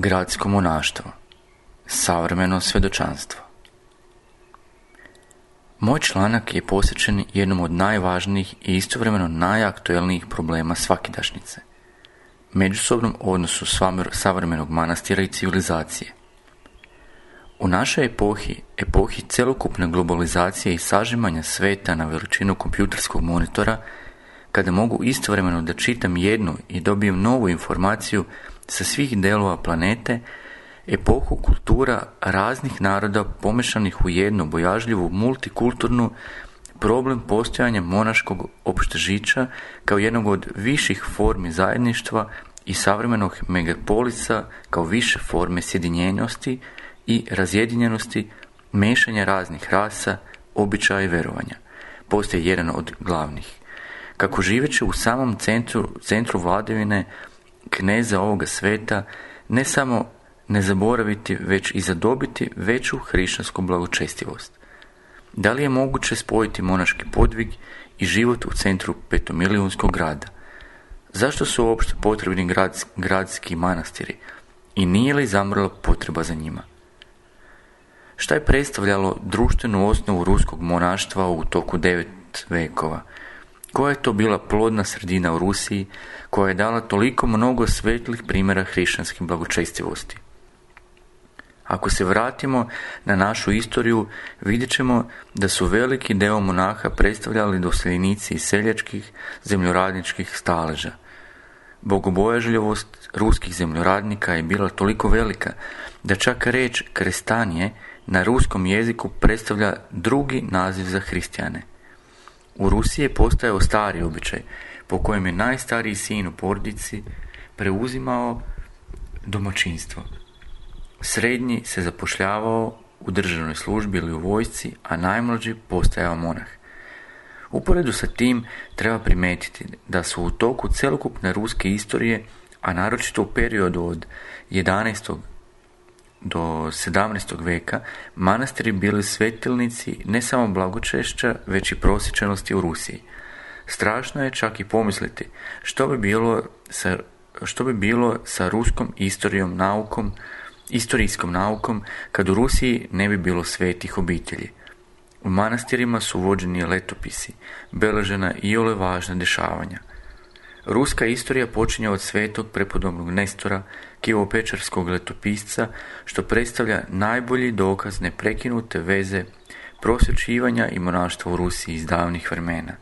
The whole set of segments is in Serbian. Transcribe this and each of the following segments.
Gradsko monaštvo. Savremeno svjedočanstvo. Moj članak je posvećen jednom od najvažnijih i istovremeno najaktuelnijih problema svakidašnjice, međusobnom odnosu savremenog manastira i civilizacije. U našoj epohi celokupne globalizacije i sažimanja sveta na veličinu kompjuterskog monitora, kada mogu istovremeno da čitam jednu i dobijem novu informaciju sa svih delova planete, epohu kultura raznih naroda pomešanih u jednu bojažljivu multikulturnu, problem postojanja monaškog opštežića kao jednog od viših formi zajedništva i savremenog megapolisa kao više forme sjedinjenosti i razjedinjenosti, mešanja raznih rasa, običaja i verovanja, postoji jedan od glavnih. Kako živeći u samom centru vladavine kneza ovoga sveta, ne samo ne zaboraviti, već i zadobiti veću hrišćansku blagočestivost. Da li je moguće spojiti monaški podvig i život u centru petomilijonskog grada? Zašto su uopšte potrebni gradski manastiri i nije li zamrla potreba za njima? Šta je predstavljalo društvenu osnovu ruskog monaštva u toku 9 vekova? Koja je to bila plodna sredina u Rusiji koja je dala toliko mnogo svetlih primjera hrišćanske blagočestivosti? Ako se vratimo na našu istoriju, vidjet ćemo da su veliki deo monaha predstavljali doseljenici iz seljačkih zemljoradničkih staleža. Bogobojažljivost ruskih zemljoradnika je bila toliko velika da čak reč krestanje na ruskom jeziku predstavlja drugi naziv za hristijane. U Rusiji je postojao stari običaj po kojem je najstariji sin u porodici preuzimao domaćinstvo. Srednji se zapošljavao u državnoj službi ili u vojsci, a najmlađi postajao monah. Uporedu sa tim treba primetiti da su u toku celokupne ruske istorije, a naročito u periodu od 11. do 17. veka, manastiri bili svetilnici ne samo blagočešća, već i prosječenosti u Rusiji. Strašno je čak i pomisliti što bi bilo sa ruskom istorijskom naukom kad u Rusiji ne bi bilo svetih obitelji. U manastirima su vođeni letopisi, beležena iole važna dešavanja. Ruska istorija počinje od svetog prepodobnog Nestora, Kivopečarskog letopisca, što predstavlja najbolji dokaz neprekinute veze prosvjećivanja i monaštva u Rusiji iz davnih vremena.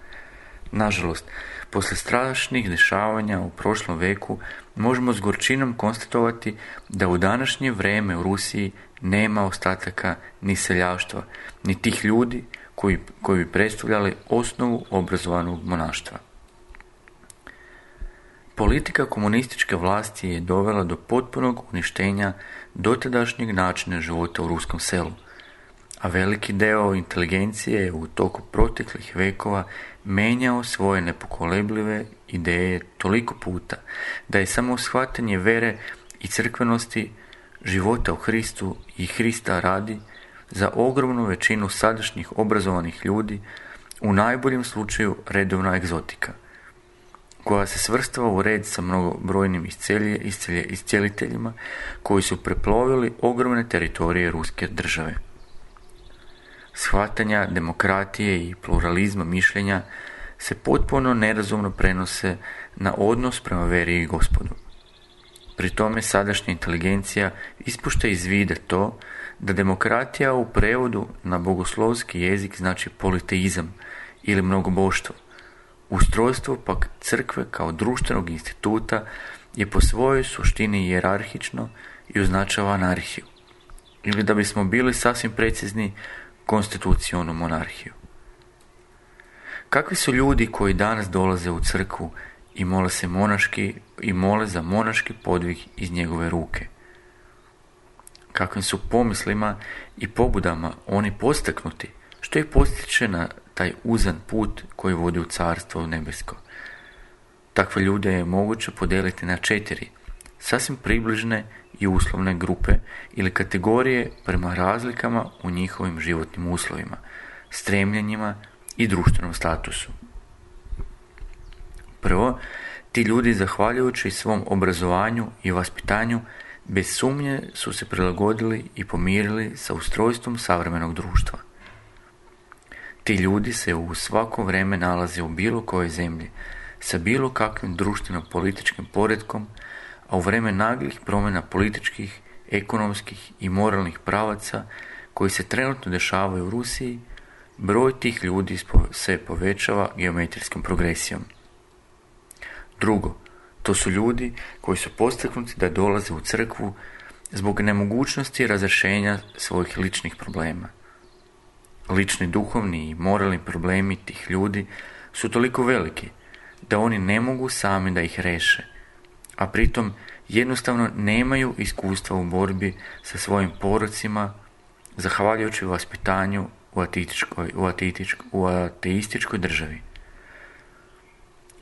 Nažalost, posle strašnih dešavanja u prošlom veku možemo s gorčinom konstatovati da u današnje vreme u Rusiji nema ostataka ni seljaštva, ni tih ljudi koji bi predstavljali osnovu obrazovanog monaštva. Politika komunističke vlasti je dovela do potpunog uništenja dotadašnjeg načina života u ruskom selu, a veliki deo inteligencije je u toku proteklih vekova menjao svoje nepokolebljive ideje toliko puta da je samo shvatanje vere i crkvenosti života u Hristu i Hrista radi za ogromnu većinu sadašnjih obrazovanih ljudi u najboljem slučaju redovna egzotika, koja se svrstava u red sa mnogobrojnim iscijeliteljima koji su preplovili ogromne teritorije ruske države. Shvatanja demokratije i pluralizma mišljenja se potpuno nerazumno prenose na odnos prema veri i Gospodu. Pri tome sadašnja inteligencija ispušta iz vida to da demokratija u prevodu na bogoslovski jezik znači politeizam ili mnogoboštvo. Ustrojstvo pak crkve kao društvenog instituta je po svojoj suštini hijerarhično i označava anarhiju, ili da bismo bili sasvim precizni, konstitucionu monarhiju. Kakvi su ljudi koji danas dolaze u crkvu i mole za monaški podvig iz njegove ruke? Kakvim su pomislima i pobudama oni postaknuti, što ih postiče na taj uzan put koji vodi u carstvo nebesko? Takve ljude je moguće podijeliti na 4 sasvim približne i uslovne grupe ili kategorije prema razlikama u njihovim životnim uslovima, stremljenjima i društvenom statusu. Prvo, ti ljudi, zahvaljujući svom obrazovanju i vaspitanju, bez sumnje su se prilagodili i pomirili sa ustrojstvom savremenog društva. Ti ljudi se u svako vrijeme nalaze u bilo kojoj zemlji, sa bilo kakvim društveno-političkim poretkom, a u vrijeme naglih promjena političkih, ekonomskih i moralnih pravaca koji se trenutno dešavaju u Rusiji, broj tih ljudi se povećava geometrijskom progresijom. Drugo, to su ljudi koji su postaknuti da dolaze u crkvu zbog nemogućnosti razrješenja svojih ličnih problema. Lični duhovni i moralni problemi tih ljudi su toliko veliki da oni ne mogu sami da ih reše, a pritom jednostavno nemaju iskustva u borbi sa svojim porocima, zahvaljujući vaspitanju u ateističkoj državi.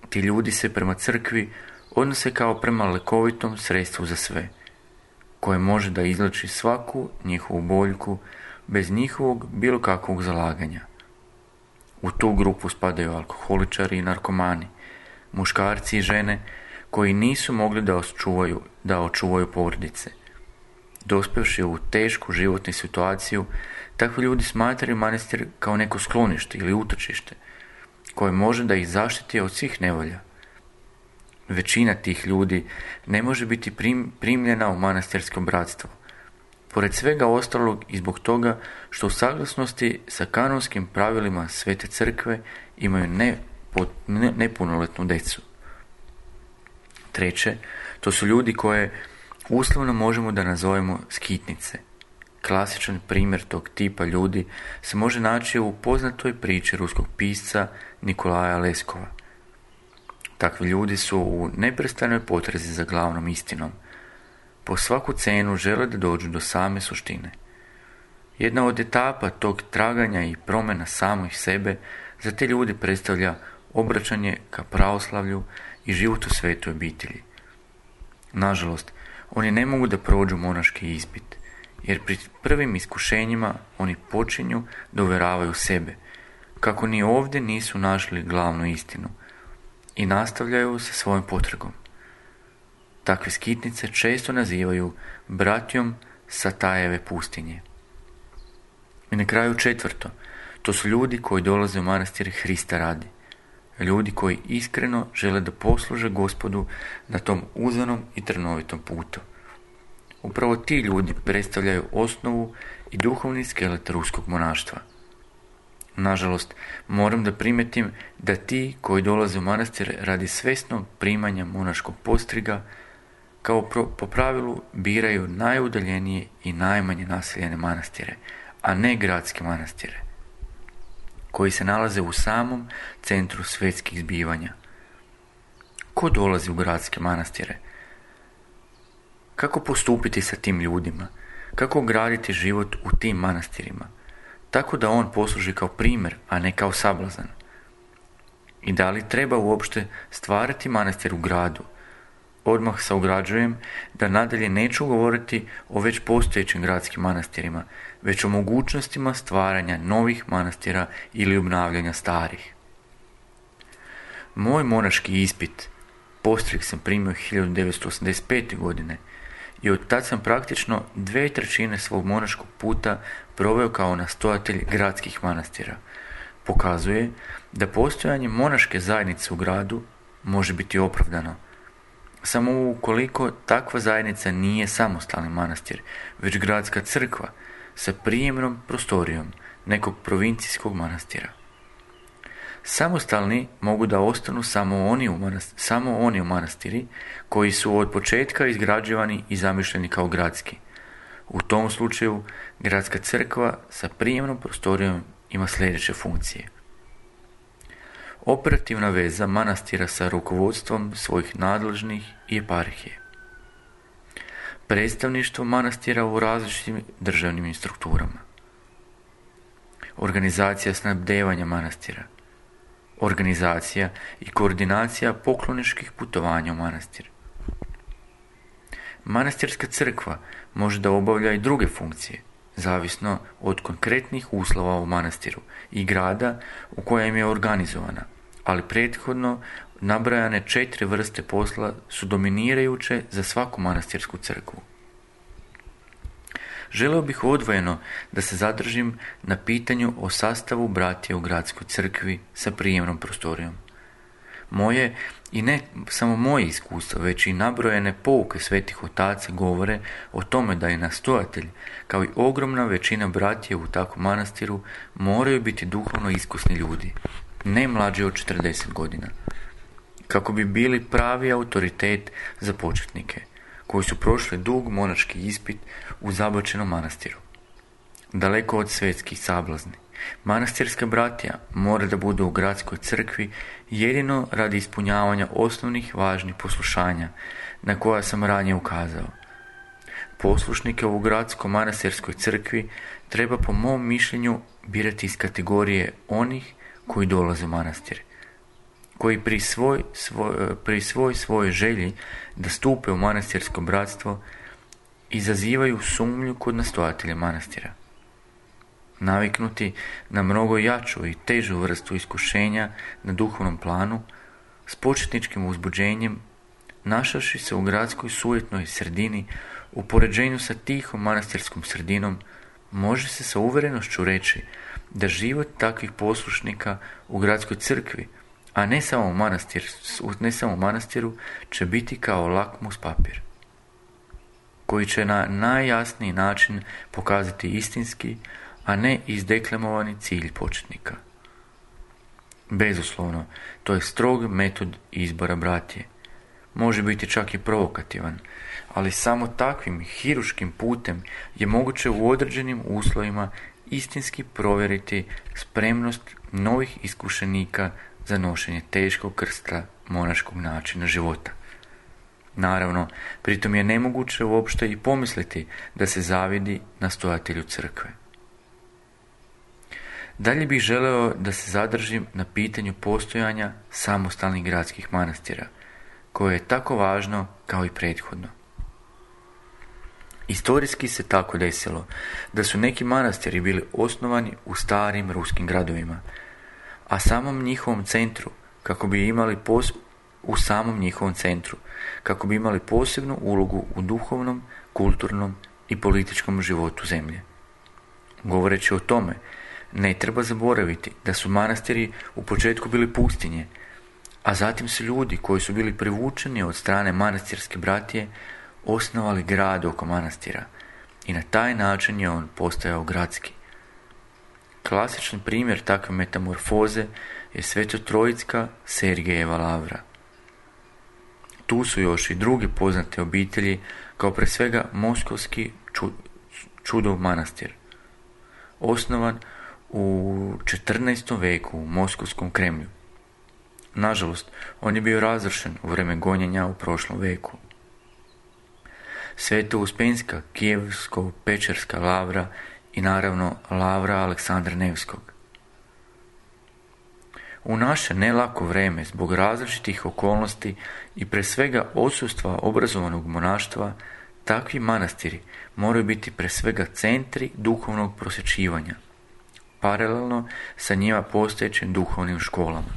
Ti ljudi se prema crkvi odnose kao prema lekovitom sredstvu za sve, koje može da izleči svaku njihovu boljku bez njihovog bilo kakvog zalaganja. U tu grupu spadaju alkoholičari i narkomani, muškarci i žene koji nisu mogli da očuvaju porodice. Dospevši u tešku životnu situaciju, takvi ljudi smatraju manastir kao neko sklonište ili utočište, koje može da ih zaštiti od svih nevolja. Većina tih ljudi ne može biti primljena u manastirsko bratstvo, pored svega ostalog i zbog toga što u saglasnosti sa kanonskim pravilima Svete crkve imaju nepunoljetnu decu. Treće, to su ljudi koje uslovno možemo da nazovemo skitnice. Klasičan primjer tog tipa ljudi se može naći u poznatoj priči ruskog pisca Nikolaja Leskova. Takvi ljudi su u neprestanoj potrazi za glavnom istinom. Po svaku cenu žele da dođu do same suštine. Jedna od etapa tog traganja i promjena samih sebe za te ljudi predstavlja obraćanje ka pravoslavlju i život u svetoj obitelji. Nažalost, oni ne mogu da prođu monaški ispit, jer pri prvim iskušenjima oni počinju da uvjeravaju sebe, kako ni ovdje nisu našli glavnu istinu, i nastavljaju sa svojom potragom. Takve skitnice često nazivaju bratijom Satajeve pustinje. I na kraju četvrto, to su ljudi koji dolaze u manastir Hrista radi. Ljudi koji iskreno žele da posluže Gospodu na tom uzanom i trnovitom putu. Upravo ti ljudi predstavljaju osnovu i duhovni skelet ruskog monaštva. Nažalost, moram da primetim da ti koji dolaze u manastir radi svesnog primanja monaškog postriga, kao po pravilu biraju najudaljenije i najmanje naseljene manastire, a ne gradske manastire, koji se nalaze u samom centru svjetskih zbivanja. Ko dolazi u gradske manastire? Kako postupiti sa tim ljudima? Kako graditi život u tim manastirima? Tako da on posluži kao primjer, a ne kao sablazan. I da li treba uopšte stvarati manastir u gradu? Odmah se ograđujem da nadalje neću govoriti o već postojećim gradskim manastirima, već o mogućnostima stvaranja novih manastira ili obnavljanja starih. Moj monaški ispit postrig sam primio 1985. godine i od tad sam praktično 2/3 svog monaškog puta proveo kao nastojatelj gradskih manastira. Pokazuje da postojanje monaške zajednice u gradu može biti opravdano, samo ukoliko takva zajednica nije samostalni manastir, već gradska crkva sa prijemnom prostorijom nekog provincijskog manastira. Samostalni mogu da ostanu samo oni u manastiri koji su od početka izgrađivani i zamišljeni kao gradski. U tom slučaju gradska crkva sa prijemnom prostorijom ima sljedeće funkcije. Operativna veza manastira sa rukovodstvom svojih nadležnih i eparhije. Predstavništvo manastira u različitim državnim strukturama. Organizacija snabdevanja manastira. Organizacija i koordinacija pokloničkih putovanja u manastir. Manastirska crkva može da obavlja i druge funkcije, zavisno od konkretnih uslova u manastiru i grada u kojem je organizovana, ali prethodno nabrajane 4 vrste posla su dominirajuće za svaku manastirsku crkvu. želio bih odvojeno da se zadržim na pitanju o sastavu bratije u gradskoj crkvi sa prijemnom prostorijom. Moje, i ne samo moje iskustvo, već i nabrojene pouke svetih otaca govore o tome da je nastojatelj, kao i ogromna većina bratije u takvom manastiru, moraju biti duhovno iskusni ljudi, ne mlađi od 40 godina, kako bi bili pravi autoritet za početnike, koji su prošli dug monaški ispit u zabačenom manastiru. Daleko od svjetskih sablazni, manastirska bratija mora da bude u gradskoj crkvi jedino radi ispunjavanja osnovnih važnih poslušanja na koja sam ranije ukazao. Poslušnike u gradsko-manastirskoj crkvi treba po mom mišljenju birati iz kategorije onih koji dolaze u manastir, koji pri svojoj želji da stupe u manastirsko bratstvo izazivaju sumnju kod nastojatelja manastira. Naviknuti na mnogo jaču i težu vrstu iskušenja na duhovnom planu, s početničkim uzbuđenjem, našavši se u gradskoj sujetnoj sredini, u poređenju sa tihom manastirskom sredinom, može se sa uvjerenošću reći da život takvih poslušnika u gradskoj crkvi, a ne samo u manastiru, će biti kao lakmus papir, koji će na najjasniji način pokazati istinski, a ne izdeklamovani cilj početnika. Bezuslovno, to je strog metod izbora bratije. Može biti čak i provokativan, ali samo takvim hiruškim putem je moguće u određenim uslovima istinski provjeriti spremnost novih iskušenika za nošenje teškog krsta monaškog načina života. Naravno, pritom je nemoguće uopšte i pomisliti da se zavidi nastojatelju crkve. Dalje bih želeo da se zadržim na pitanju postojanja samostalnih gradskih manastira, koje je tako važno kao i prethodno. Istorijski se tako desilo da su neki manastiri bili osnovani u starim ruskim gradovima, a samom njihovom centru, kako bi imali posebnu ulogu u duhovnom, kulturnom i političkom životu zemlje. Govoreći o tome, ne treba zaboraviti da su manastiri u početku bili pustinje, a zatim su ljudi koji su bili privučeni od strane manastirske bratije osnovali grad oko manastira i na taj način je on postajao gradski. Klasičan primjer takve metamorfoze je Sveto-Trojicka Sergejeva lavra. Tu su još i druge poznate obitelji, kao pre svega Moskovski Čudov manastir, osnovan u 14. veku u Moskovskom Kremlju. Nažalost, on je bio razrušen u vrijeme gonjenja u prošlom veku. Sveto-Uspenska Kijevsko-Pečerska lavra i naravno lavra Aleksandra Nevskog. U naše nelako vrijeme, zbog različitih okolnosti i pre svega odsustva obrazovanog monaštva, takvi manastiri moraju biti pre svega centri duhovnog prosvjećivanja, paralelno sa njima postojećim duhovnim školama.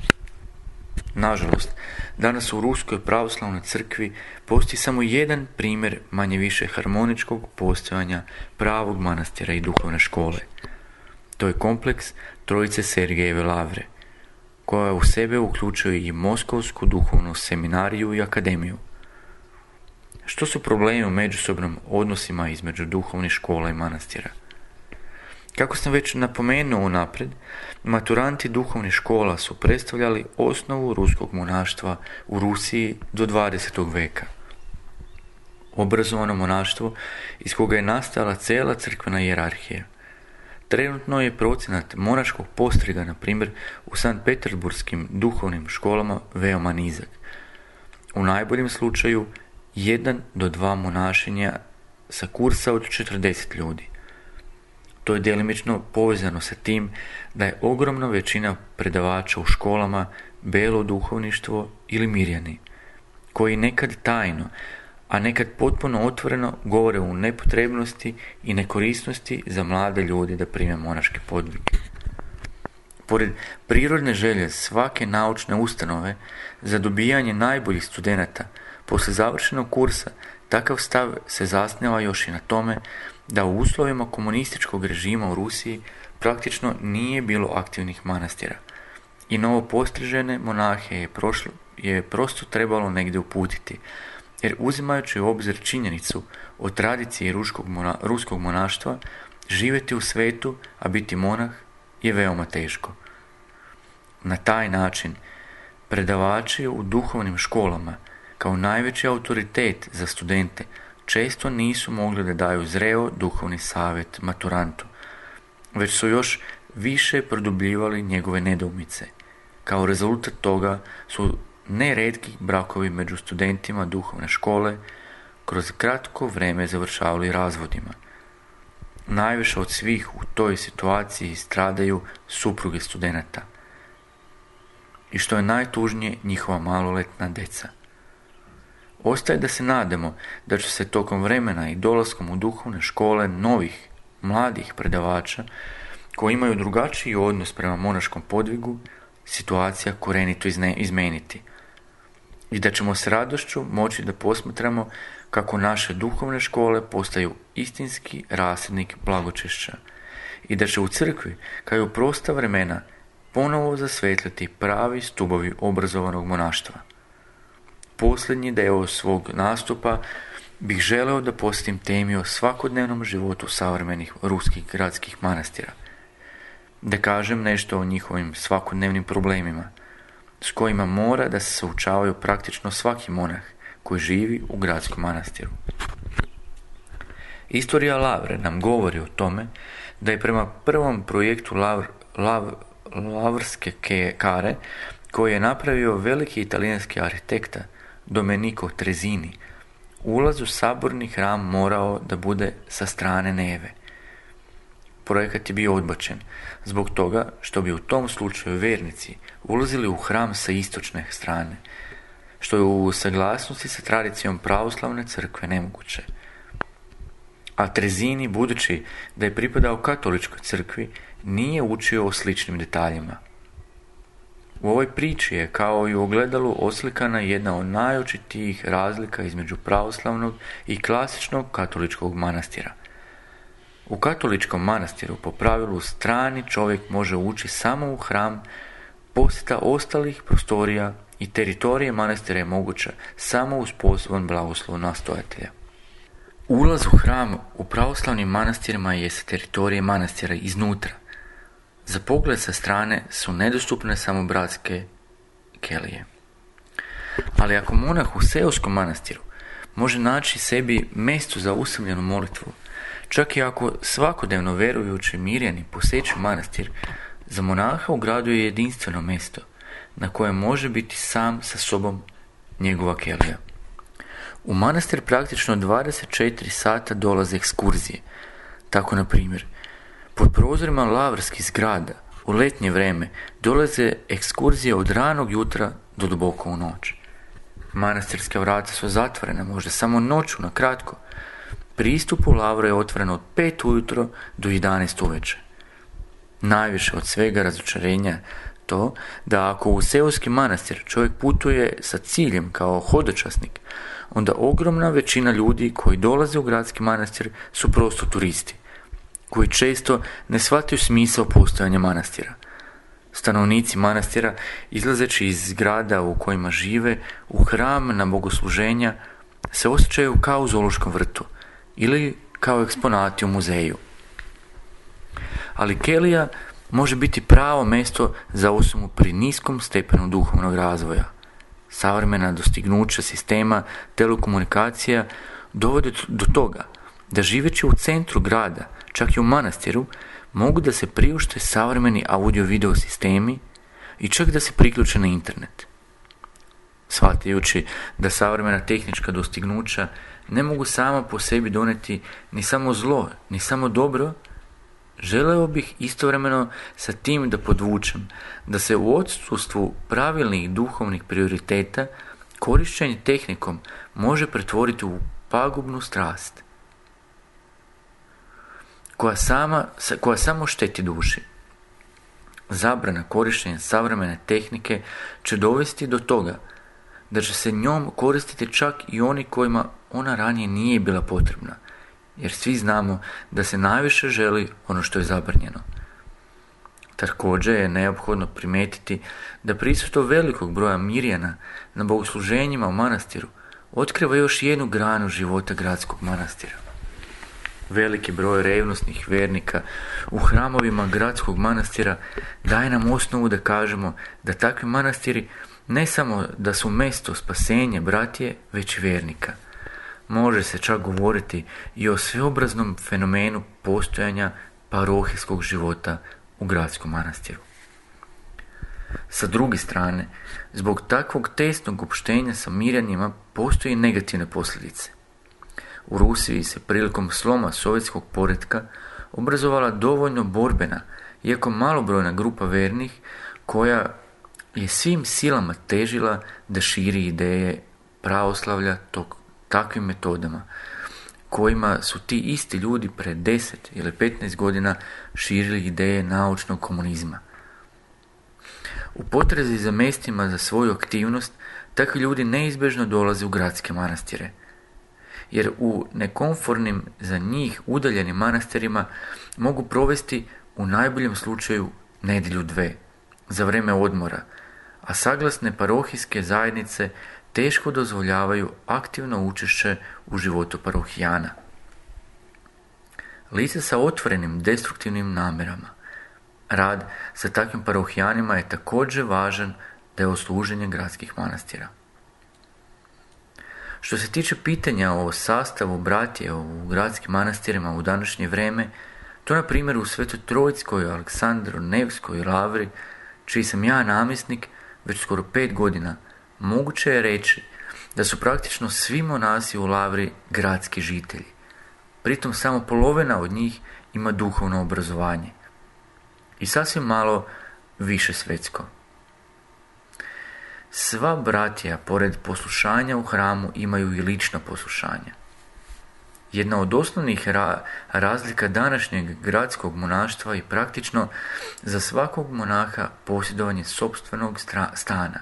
Nažalost, danas u Ruskoj pravoslavnoj crkvi postoji samo jedan primjer manje-više harmoničkog postojanja pravog manastira i duhovne škole. To je kompleks Trojice Sergejeve lavre, koja u sebe uključuje i Moskovsku duhovnu seminariju i akademiju. Što su problemi u međusobnom odnosima između duhovnih škola i manastira? Kako sam već napomenuo unaprijed, maturanti duhovnih škola su predstavljali osnovu ruskog monaštva u Rusiji do 20. veka. Obrazovano monaštvo iz koga je nastala cijela crkvena hijerarhija. Trenutno je procenat monaškog postriga, na primjer, u Sankt Peterburskim duhovnim školama veoma nizak. U najboljem slučaju 1 do 2 monašinja sa kursa od 40 ljudi. To je djelimično povezano sa tim da je ogromna većina predavača u školama belo duhovništvo ili mirjani, koji nekad tajno, a nekad potpuno otvoreno govore o nepotrebnosti i nekorisnosti za mlade ljude da prime monaške podvige. Pored prirodne želje svake naučne ustanove za dobijanje najboljih studenata, poslije završenog kursa, takav stav se zasniva još i na tome da u uslovima komunističkog režima u Rusiji praktično nije bilo aktivnih manastira i novopostrižene monahe je prosto trebalo negdje uputiti, jer uzimajući u obzir činjenicu o tradiciji ruskog monaštva, živjeti u svetu, a biti monah je veoma teško. Na taj način predavači u duhovnim školama, kao najveći autoritet za studente, često nisu mogli da daju zreo duhovni savjet maturantu, već su još više produbljivali njegove nedoumice. Kao rezultat toga su neretki brakovi među studentima duhovne škole kroz kratko vrijeme završavali razvodima. Najviše od svih u toj situaciji stradaju supruge studenata. I što je najtužnije, njihova maloletna deca. Ostaje da se nadamo da će se tokom vremena i dolaskom u duhovne škole novih, mladih predavača koji imaju drugačiji odnos prema monaškom podvigu, situacija korenito izmeniti. I da ćemo s radošću moći da posmatramo kako naše duhovne škole postaju istinski rasadnik blagočešća i da će u crkvi, kao i u prosta vremena, ponovo zasvetliti pravi stubovi obrazovanog monaštva. Posljednji deo svog nastupa bih želeo da posjetim temi o svakodnevnom životu savremenih ruskih gradskih manastira. Da kažem nešto o njihovim svakodnevnim problemima, s kojima mora da se suočavaju praktično svaki monah koji živi u gradskom manastiru. Istorija Lavre nam govori o tome da je prema prvom projektu Lavrske kare, koji je napravio veliki italijanski arhitekta Domenico Trezini, ulaz u saborni hram morao da bude sa strane Neve. Projekat je bio odbačen zbog toga što bi u tom slučaju vernici ulazili u hram sa istočne strane, što je u saglasnosti sa tradicijom pravoslavne crkve nemoguće. A Trezini, budući da je pripadao katoličkoj crkvi, nije učio o sličnim detaljima. U ovoj priči je, kao i u ogledalu, oslikana jedna od najočitijih razlika između pravoslavnog i klasičnog katoličkog manastira. U katoličkom manastiru po pravilu strani čovjek može ući samo u hram, posjeta ostalih prostorija i teritorije manastira je moguća samo uz poseban blagoslov nastojatelja. Ulaz u hram u pravoslavnim manastirima je sa teritorije manastira iznutra. Za pogled sa strane su nedostupne samo bratske kelije. Ali ako monah u seoskom manastiru može naći sebi mjesto za usamljenu molitvu, čak i ako svakodnevno verujući mirjani poseću manastir, za monaha u gradu je jedinstveno mjesto na kojem može biti sam sa sobom njegova kelija. U manastir praktično 24 sata dolaze ekskurzije. Tako, na primjer, pod prozorima lavrskih zgrada u letnje vrijeme dolaze ekskurzije od ranog jutra do duboko u noć. Manastirska vrata su zatvorena, možda samo noću na kratko. Pristup u Lavru je otvoren od 5 ujutro do 11 uveče. Najviše od svega razočarenja to da ako u seoski manastir čovjek putuje sa ciljem kao hodočasnik, onda ogromna većina ljudi koji dolaze u gradski manastir su prosto turisti, koji često ne shvataju smisao postojanja manastira. Stanovnici manastira, izlazeći iz zgrada u kojima žive, u hram na bogosluženja, se osjećaju kao u zoološkom vrtu ili kao eksponati u muzeju. Ali kelija može biti pravo mjesto za osobu pri niskom stepenu duhovnog razvoja. Savremena dostignuća sistema telekomunikacija dovode do toga da živeći u centru grada, čak i u manastiru, mogu da se priušte savremeni audio-video sistemi i čak da se priključe na internet. Shvatajući da savremena tehnička dostignuća ne mogu sama po sebi doneti ni samo zlo, ni samo dobro, želeo bih istovremeno sa tim da podvučem da se u odsustvu pravilnih duhovnih prioriteta korištenje tehnikom može pretvoriti u pagubnu strast koja samo šteti duši. Zabrana korištenja savremene tehnike će dovesti do toga da će se njom koristiti čak i oni kojima ona ranije nije bila potrebna, jer svi znamo da se najviše želi ono što je zabranjeno. Također je neophodno primijetiti da prisustvo velikog broja Mirjana na bogosluženjima u manastiru otkriva još jednu granu života gradskog manastira. Veliki broj revnosnih vjernika u hramovima gradskog manastira daje nam osnovu da kažemo da takvi manastiri ne samo da su mjesto spasenja bratije, već i vjernika. Može se čak govoriti i o sveobraznom fenomenu postojanja parohijskog života u gradskom manastiru. Sa druge strane, zbog takvog tesnog opštenja sa Mirjanima postoji negativne posljedice. U Rusiji se prilikom sloma sovjetskog poretka obrazovala dovoljno borbena, iako malobrojna grupa vernih, koja je svim silama težila da širi ideje pravoslavlja takvim metodama, kojima su ti isti ljudi pred 10 ili 15 godina širili ideje naučnog komunizma. U potrazi za mjestima za svoju aktivnost, takvi ljudi neizbježno dolaze u gradske manastire, jer u nekomfornim za njih udaljenim manastirima mogu provesti u najboljem slučaju nedjelju 2 za vrijeme odmora, a saglasne parohijske zajednice teško dozvoljavaju aktivno učešće u životu parohijana. Lice sa otvorenim destruktivnim namjerama. Rad sa takvim parohijanima je također važan deo služenja gradskih manastira. Što se tiče pitanja o sastavu bratije u gradskim manastirima u današnje vrijeme, to na primjer u Svetoj Trojskoj Aleksandro-Nevskoj lavri, čiji sam ja namjesnik već skoro 5 godina, moguće je reći da su praktično svi monasi u lavri gradski žitelji. Pritom samo polovina od njih ima duhovno obrazovanje i sasvim malo više svetsko. Sva bratija, pored poslušanja u hramu, imaju i lična poslušanja. Jedna od osnovnih razlika današnjeg gradskog monaštva je praktično za svakog monaha posjedovanje sopstvenog stana,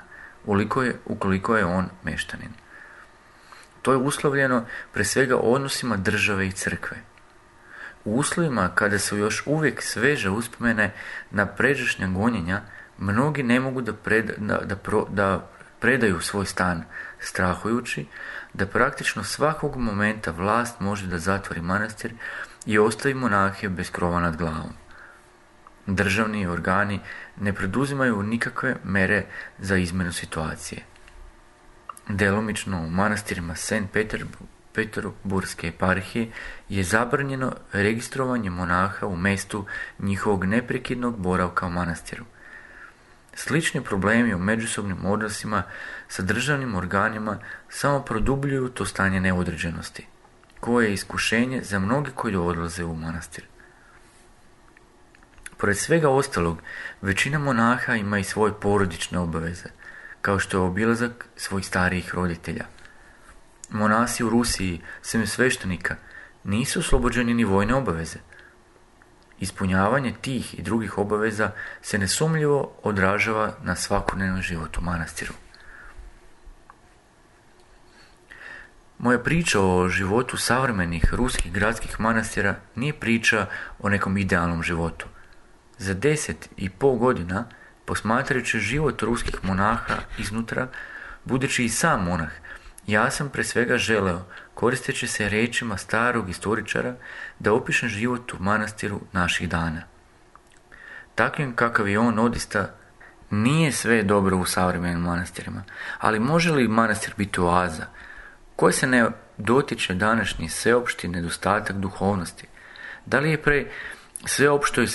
ukoliko je on meštanin. To je uslovljeno pre svega odnosima države i crkve. U uslovima kada su još uvijek sveže uspomene na pređašnja gonjenja, mnogi ne mogu da predaju svoj stan, strahujući da praktično svakog momenta vlast može da zatvori manastir i ostavi monahe bez krova nad glavom. Državni organi ne preduzimaju nikakve mere za izmjenu situacije. Delomično u manastirima St. Peterburške eparhije je zabranjeno registrovanje monaha u mjestu njihovog neprekidnog boravka u manastiru. Slični problemi u međusobnim odnosima sa državnim organima samo produbljuju to stanje neodređenosti, koje je iskušenje za mnogi koji odlaze u manastir. Pored svega ostalog, većina monaha ima i svoje porodične obaveze, kao što je obilazak svojih starijih roditelja. Monasi u Rusiji, sem sveštenika, nisu oslobođeni ni vojne obaveze. Ispunjavanje tih i drugih obaveza se nesumnjivo odražava na svakodnevni život u manastiru. Moja priča o životu savremenih ruskih gradskih manastira nije priča o nekom idealnom životu. Za 10,5 godina, posmatrajući život ruskih monaha iznutra, budući i sam monah, ja sam pre svega želeo, koristeći se riječima starog istoričara, da opišem život u manastiru naših dana. Takvim kakav je on odista, nije sve dobro u savremenim manastirima, ali može li manastir biti oaza, koje se ne dotiče današnji sveopšti nedostatak duhovnosti? Da li je pre sveopštoj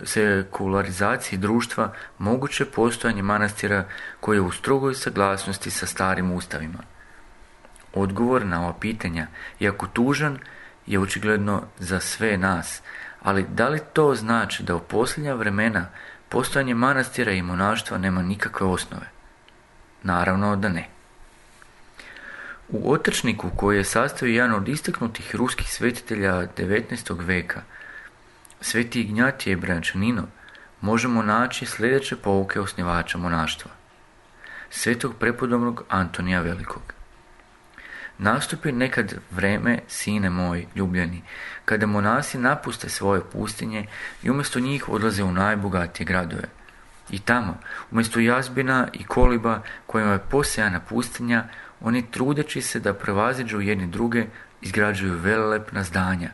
sekularizaciji društva moguće postojanje manastira koje je u strogoj saglasnosti sa starim ustavima? Odgovor na ova pitanja, iako tužan, je očigledno za sve nas, ali da li to znači da u posljednja vremena postojanje manastira i monaštva nema nikakve osnove? Naravno da ne. U otrčniku koji je sastavio jedan od istaknutih ruskih svetitelja 19. veka, Sveti Ignjatije Brančanino, možemo naći sljedeće pouke osnivača monaštva. Svetog prepodobnog Antonija Velikog. Nastupi nekad vreme, sine moj ljubljeni, kada monasi napuste svoje pustinje i umjesto njih odlaze u najbogatije gradove. I tamo, umjesto jazbina i koliba kojima je posejana pustinja, oni trudeći se da prevaziđu jedni druge, izgrađuju velelepna zdanja,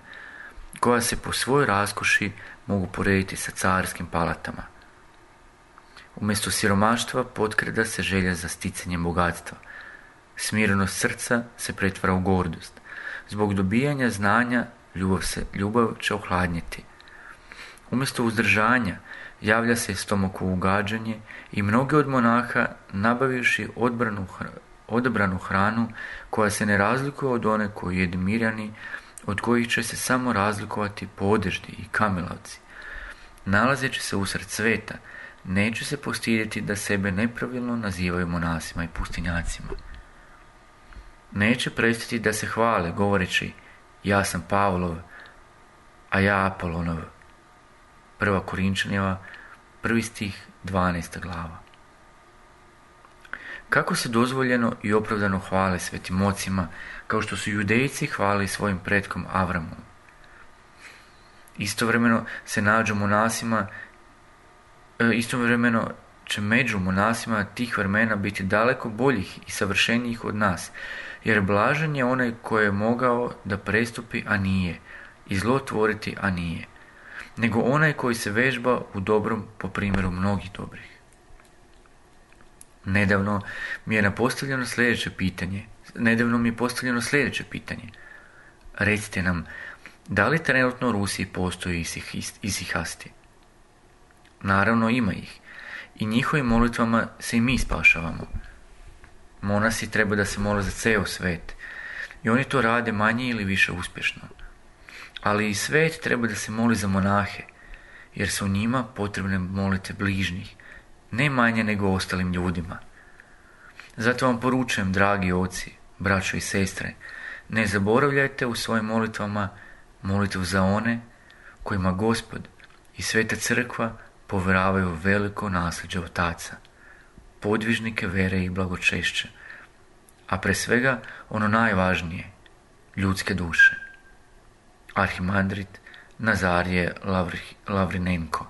koja se po svojoj raskoši mogu porediti sa carskim palatama. Umjesto siromaštva potkrada se želja za sticanjem bogatstva. Smirenost srca se pretvara u gordost. Zbog dobijanja znanja ljubav će ohladnjeti. Umjesto uzdržanja javlja se stomakovo ugađanje i mnogi od monaha, nabavivši odabranu hranu koja se ne razlikuje od one koju jedu Mirjani, od kojih će se samo razlikovati podeždi i kamilavci. Nalazeći se usred sveta, neće se postidjeti da sebe nepravilno nazivaju monasima i pustinjacima. Neće prestati da se hvale govoreći ja sam Pavlov, a ja Apolonov. 1. Korinčanjeva, 1. stih, 12. glava. Kako se dozvoljeno i opravdano hvale svetim ocima, kao što su Judejci hvali svojim pretkom Avramom. Istovremeno će među monasima tih vremena biti daleko boljih i savršenijih od nas, jer blažen je onaj koji je mogao da prestupi, a nije, i zlo tvoriti, a nije, nego onaj koji se vežba u dobrom po primjeru mnogih dobrih. Nedavno mi je postavljeno sljedeće pitanje. Recite nam, da li trenutno u Rusiji postoji isihasti? Naravno ima ih. I njihovim molitvama se i mi spašavamo. Monasi treba da se mole za ceo svet. I oni to rade manje ili više uspješno. Ali i svet treba da se moli za monahe, jer su njima potrebne molitve bližnjih, ne manje nego ostalim ljudima. Zato vam poručujem, dragi oci, braćo i sestre, ne zaboravljajte u svojim molitvama molitvu za one kojima Gospod i Sveta Crkva povjeravaju veliko nasljeđe otaca, podvižnike vere i blagočešće, a pre svega ono najvažnije, ljudske duše. Arhimandrit Nazarije Lavrinenko.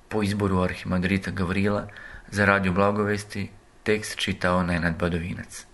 Po izboru arhimandrita Gavrila za Radio Blagovesti tekst čitao Nenad Badovinac.